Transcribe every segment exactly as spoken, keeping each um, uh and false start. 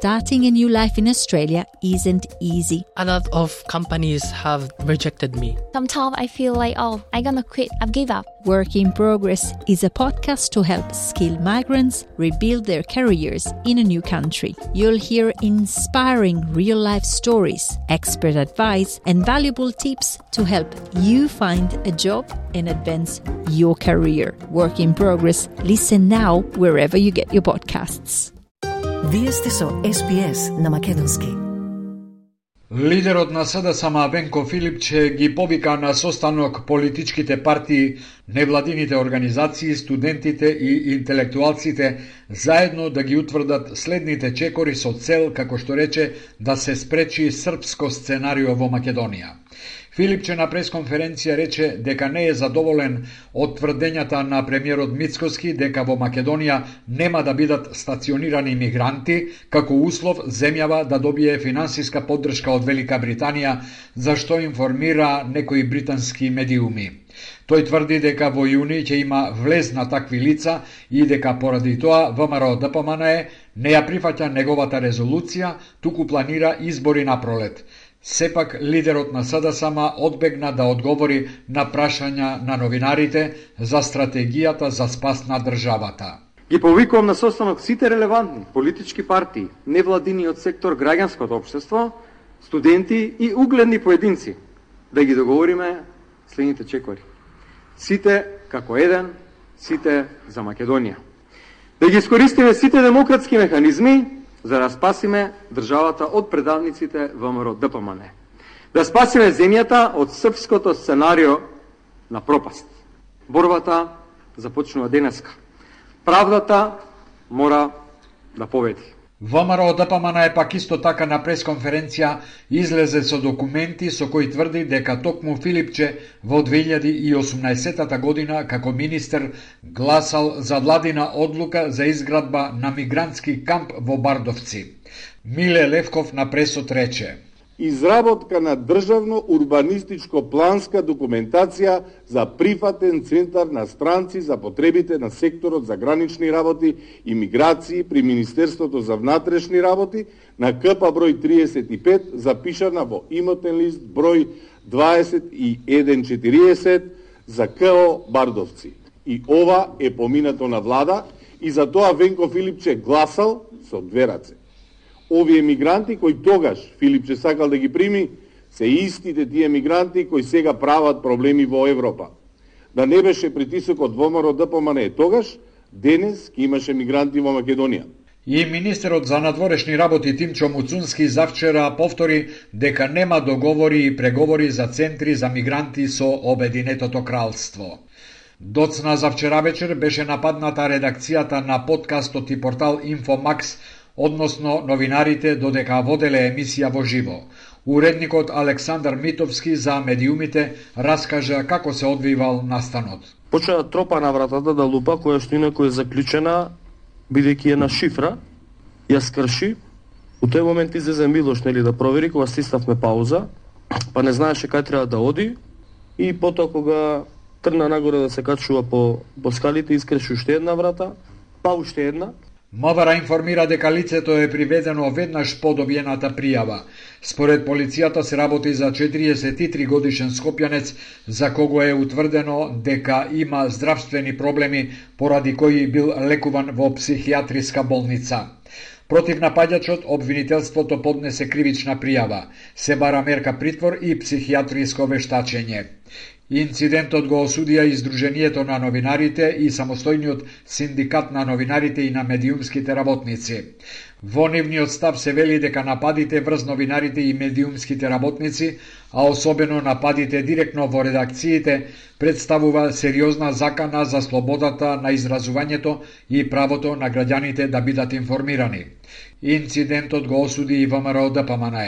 starting a new life in Australia isn't easy. A lot of companies have rejected me. Sometimes I feel like, oh, I'm gonna quit, I've give up. Work in Progress is a podcast to help skilled migrants rebuild their careers in a new country. You'll hear inspiring real-life stories, expert advice, and valuable tips to help you find a job and advance your career. Work in Progress. Listen now wherever you get your podcasts. Вие сте со Ес Би Ес на македонски. Лидерот на СДСМ Венко Филипче ги повика на состанок политичките партии, невладините организации, студентите и интелектуалците заедно да ги утврдат следните чекори со цел, како што рече, да се спречи српско сценарио во Македонија. Филипче на пресконференција рече дека не е задоволен од тврдењата на премиерот Мицкоски дека во Македонија нема да бидат стационирани мигранти, како услов земјава да добие финансиска поддршка од Велика Британија, за што информира некои британски медиуми. Тој тврди дека во јуни ќе има влез на такви лица и дека поради тоа ВМРО Д П М Н не ја прифаќа неговата резолуција, туку планира избори на пролет. Сепак, лидерот на СДСМ одбегна да одговори на прашања на новинарите за стратегијата за спас на државата. Ги повикувам на состанок сите релевантни политички партии, невладиниот сектор, граѓанското општество, студенти и угледни поединци, да ги договориме следните чекори. Сите како еден, сите за Македонија. Да ги искористиме сите демократски механизми за да спасиме државата од предавниците ВМРО Д П М Н. Да спасиме земјата од српското сценарио на пропаст. Борбата започнува денеска. Правдата мора да победи. ВМРО Д П М Н пак исто така на пресконференција излезе со документи со кои тврди дека токму Филипче во две илјади и осумнаесетта година како министер гласал за владина одлука за изградба на мигрантски камп во Бардовци. Миле Левков на пресот рече: изработка на државно урбанистичко планска документација за прифатен центар на странци за потребите на секторот за гранични работи и миграции при Министерството за внатрешни работи на К П број триесет и пет, запишана во имотен лист број дваесет и еден четириесет за К О Бардовци. И ова е поминато на влада и за тоа Венко Филипче гласал со две раце. Овие мигранти кои тогаш Филипче сакал да ги прими, се истите тие мигранти кои сега прават проблеми во Европа. Да не беше притисокот ВМРО Д П М Н тогаш, денес ке имаше мигранти во Македонија. И министерот за надворешни работи Тимчо Муцунски завчера повтори дека нема договори и преговори за центри за мигранти со Обединетото кралство. Доцна завчера вечер беше нападната редакцијата на подкастот и портал Инфомакс, односно новинарите додека воделе емисија во живо. Уредникот Александар Митовски за медиумите раскажа како се одвивал настанот. Почна да тропа на вратата да лупа, која што инако е заклучена, бидејќи е на шифра, ја скрши. У тој момент излезе Милош, нели, да провери, кога стиснавме пауза, па не знаеше кај треба да оди, и потоа кога трна нагоре да се качува по, по скалите, искрши уште една врата, па уште една. МВР информира дека лицето е приведено веднаш по добиената пријава. Според полицијата се работи за четириесет и три годишен скопјанец за кого е утврдено дека има здравствени проблеми поради кои бил лекуван во психијатриска болница. Против напаѓачот обвинителството поднесе кривична пријава. Се бара мерка притвор и психијатриско вештачење. Инцидентот го осудија и Сдруженијето на новинарите и самостојниот синдикат на новинарите и на медиумските работници. Во нивниот став се вели дека нападите врз новинарите и медиумските работници, а особено нападите директно во редакциите, представува сериозна закана за слободата на изразувањето и правото на граѓаните да бидат информирани. Инцидентот го осуди и ВМРО Д П М Н.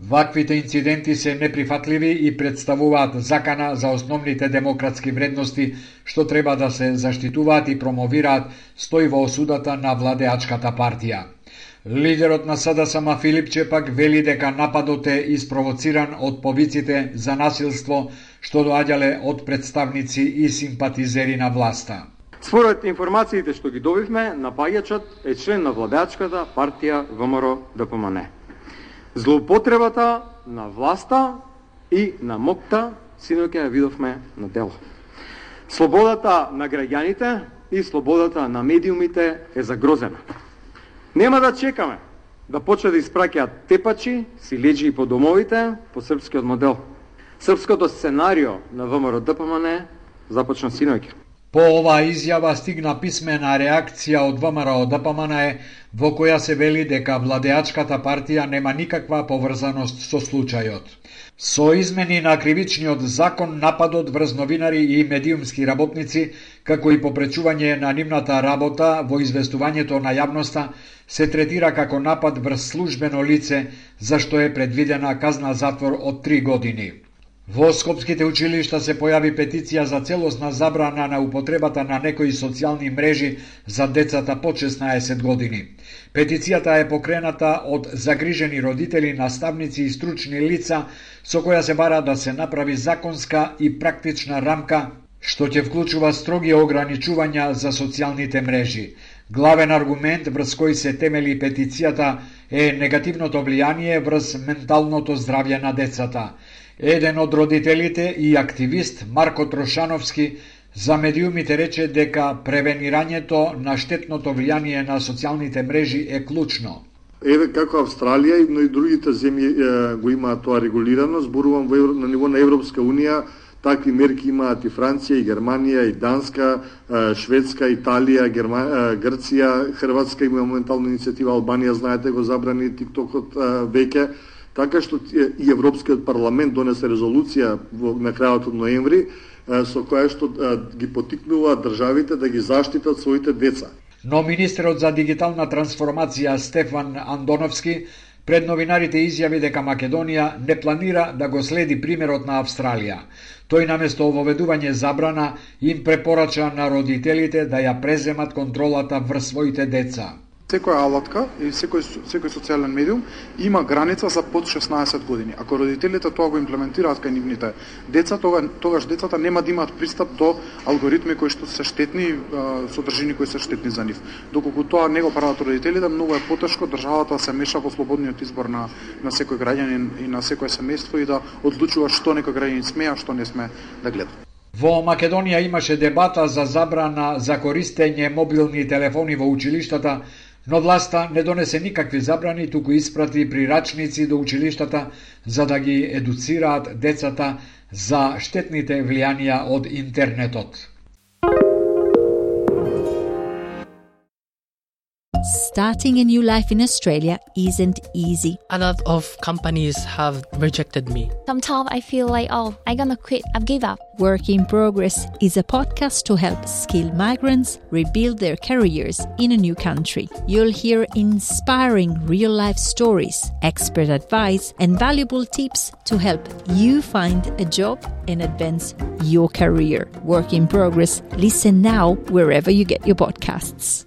Ваквите инциденти се неприфатливи и представуваат закана за основните демократски вредности што треба да се заштитуваат и промовираат, стои во осудата на владеачката партија. Лидерот на СДСМ Филипче пак вели дека нападот е испровоциран од повиците за насилство што доаѓале од представници и симпатизери на власта. Според информациите што ги добивме, напаѓачот е член на владеачката партија ВМРО-ДПМН. Злоупотребата на власта и на МОК-та синоќа ја видовме на дело. Слободата на граѓаните и слободата на медиумите е загрозена. Нема да чекаме да почне да испраќаат тепачи, силеџи по домовите по српскиот модел. Српското сценарио на ВМРО-ДПМН започна синоќа. По оваа изјава стигна писмена реакција од ВМРО-ДПМН во која се вели дека владеачката партија нема никаква поврзаност со случајот. Со измени на кривичниот закон, нападот врз новинари и медиумски работници, како и попречување на нивната работа во известувањето на јавноста, се третира како напад врз службено лице, за што е предвидена казна затвор од три години. Во скопските училишта се појави петиција за целосна забрана на употребата на некои социјални мрежи за децата под шеснаесет години. Петицијата е покрената од загрижени родители, наставници и стручни лица, со која се бара да се направи законска и практична рамка, што ќе вклучува строги ограничувања за социјалните мрежи. Главен аргумент врз кој се темели петицијата е негативното влијание врз менталното здравје на децата. Еден од родителите и активист Марко Трошановски за медиумите рече дека превенирањето на штетното влијание на социјалните мрежи е клучно. Еве како Австралија, но и другите земји е, го имаат тоа регулирано, зборувам во, на ниво на Европска унија, такви мерки имаат и Франција, и Германија, и Данска, Шведска, Италија, Герма... Грција, Хрватска има моментално иницијатива, Албанија, знаете, го забрани тиктокот веќе. Така што и Европскиот парламент донесе резолуција во на крајот од ноември со која што ги потикнува државите да ги заштитат своите деца. Но министерот за дигитална трансформација Стефан Андоновски пред новинарите изјави дека Македонија не планира да го следи примерот на Австралија. Тој наместо воведување забрана им препорача на родителите да ја преземат контролата врз своите деца. Секоја алатка и секој, секој социјален медиум има граница за под шеснаесет години. Ако родителите тоа го имплементираат кај нивните деца, тога, тогаш децата нема да имаат пристап до алгоритми кои што се штетни, содржини кои се штетни за нив. Доколку тоа не го прават родителите, многу е потешко државата се меша во слободниот избор на, на секој граѓанин и на секој семејство и да одлучува што некој граѓанин смее, а што не смее да гледа. Во Македонија имаше дебата за забрана за користење мобилни телефони во училиштата, но власта не донесе никакви забрани, туку испрати прирачници до училиштата за да ги едуцираат децата за штетните влијанија од интернетот. Starting a new life in Australia isn't easy. A lot of companies have rejected me. Sometimes I feel like, oh, I'm gonna quit. I've give up. Work in Progress is a podcast to help skilled migrants rebuild their careers in a new country. You'll hear inspiring real-life stories, expert advice, and valuable tips to help you find a job and advance your career. Work in Progress. Listen now wherever you get your podcasts.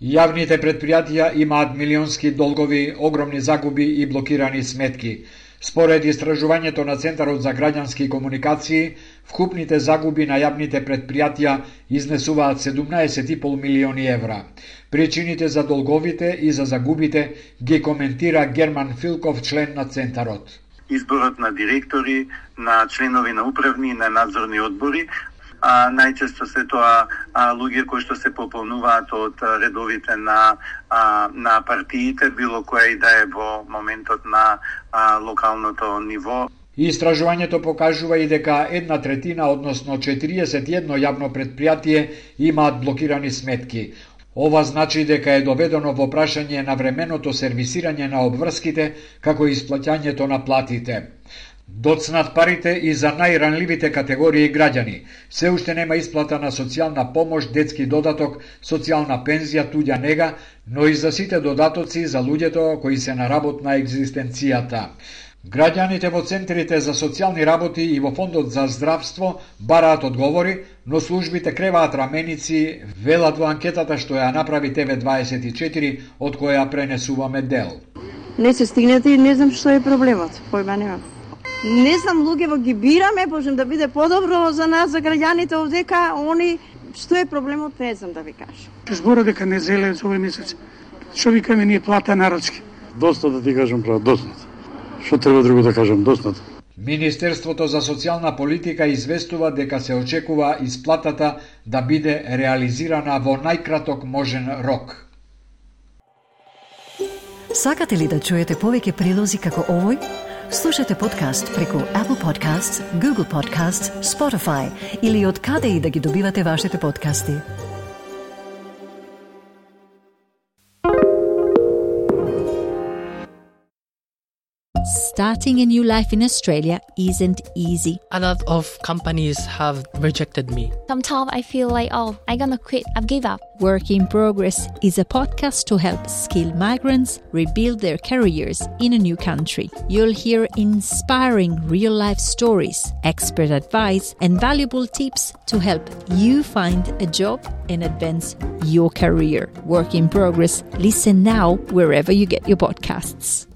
Јавните предпријатија имаат милионски долгови, огромни загуби и блокирани сметки. Според истражувањето на Центарот за граѓански комуникации, вкупните загуби на јавните предпријатија изнесуваат седумнаесет и пол милиони евра. Причините за долговите и за загубите ги коментира Герман Филков, член на Центарот. Изборот на директори, на членови на управни и на надзорни одбори, А, најчесто се тоа а, луѓе кои што се пополнуваат од редовите на а, на партиите, било која и да е во моментот на а, локалното ниво. Истражувањето покажува и дека една третина, односно четириесет и едно јавно предпријатие имаат блокирани сметки. Ова значи дека е доведено во прашање на временото сервисирање на обврските, како и исплаќањето на платите. Доцнат парите и за најранливите категории граѓани. Се уште нема исплата на социјална помош, детски додаток, социјална пензија, туѓа нега, но и за сите додатоци за луѓето кои се на работ на екзистенцијата. Граѓаните во центрите за социјални работи и во фондот за здравство бараат одговори, но службите креваат раменици, велат во анкетата што ја направи Т В дваесет и четири, од која пренесуваме дел. Не се стигнете и не знам што е проблемот, појма немам. Не знам, луѓе во ги бираме, можем да биде подобро за нас, за граѓаните овдека, они Што е проблемот, не знам да ви кажам. Збора дека не зеле за овој месец. Што викаме ние плата нарачки? Доста да ти кажам прав, доснат. Што треба друго да кажам, доснат. Министерството за социјална политика известува дека се очекува исплатата да биде реализирана во најкраток можен рок. Сакате ли да чуете повеќе прилози како овој? Слушате подкаст преку Apple Podcasts, Google Podcasts, Spotify или од каде и да ги добивате вашите подкасти. Starting a new life in Australia isn't easy. A lot of companies have rejected me. Sometimes I feel like, oh, I'm gonna quit. I've give up. Work in Progress is a podcast to help skilled migrants rebuild their careers in a new country. You'll hear inspiring real-life stories, expert advice, and valuable tips to help you find a job and advance your career. Work in Progress. Listen now wherever you get your podcasts.